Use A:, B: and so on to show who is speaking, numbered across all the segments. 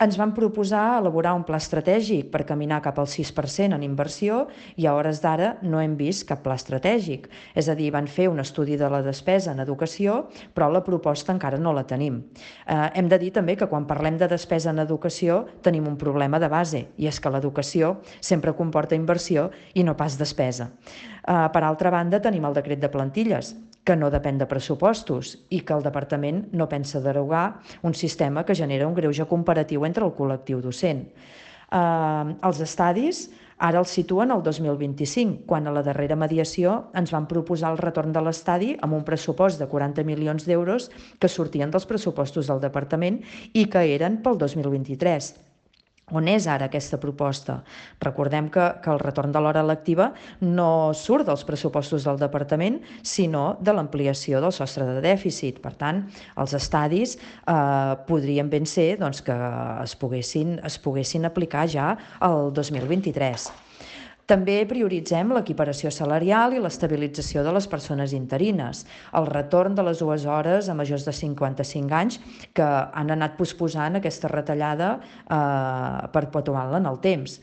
A: Ens van proposar elaborar un pla estratègic per caminar cap al 6% en inversió i a hores d'ara no hem vist cap pla estratègic. És a dir, van fer un estudi de la despesa en educació, però la proposta encara no la tenim. Hem de dir també que quan parlem de despesa en educació tenim un problema de base, i és que l'educació sempre comporta inversió i no pas despesa. Per altra banda, tenim el decret de plantilles, que no depèn de pressupostos i que el departament no pensa derogar un sistema que genera un greuge comparatiu entre el col·lectiu docent. Els estadis ara els situen al 2025, quan a la darrera mediació ens van proposar el retorn de l'estadi amb un pressupost de 40 milions d'euros que sortien dels pressupostos del departament i que eren pel 2023. On és ara aquesta proposta? Recordem que el retorn de l'hora lectiva no surt dels pressupostos del departament, sinó de l'ampliació del sostre de dèficit. Per tant, els estadis podrien ben ser que es poguessin aplicar ja el 2023. També prioritzem l'equiparació salarial i l'estabilització de les persones interines, el retorn de les 2 hores a majors de 55 anys que han anat posposant aquesta retallada perpetuant-la en el temps.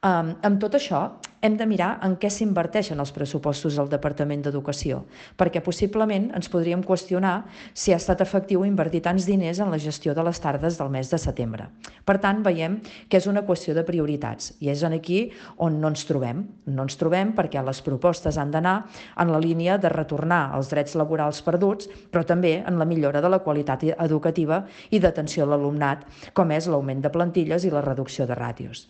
A: Amb tot això, hem de mirar en què s'inverteixen els pressupostos del Departament d'Educació, perquè possiblement ens podríem qüestionar si ha estat efectiu invertir tants diners en la gestió de les tardes del mes de setembre. Per tant, veiem que és una qüestió de prioritats i és aquí on no ens trobem. No ens trobem perquè les propostes han d'anar en la línia de retornar els drets laborals perduts, però també en la millora de la qualitat educativa i d'atenció a l'alumnat, com és l'augment de plantilles i la reducció de ràtios.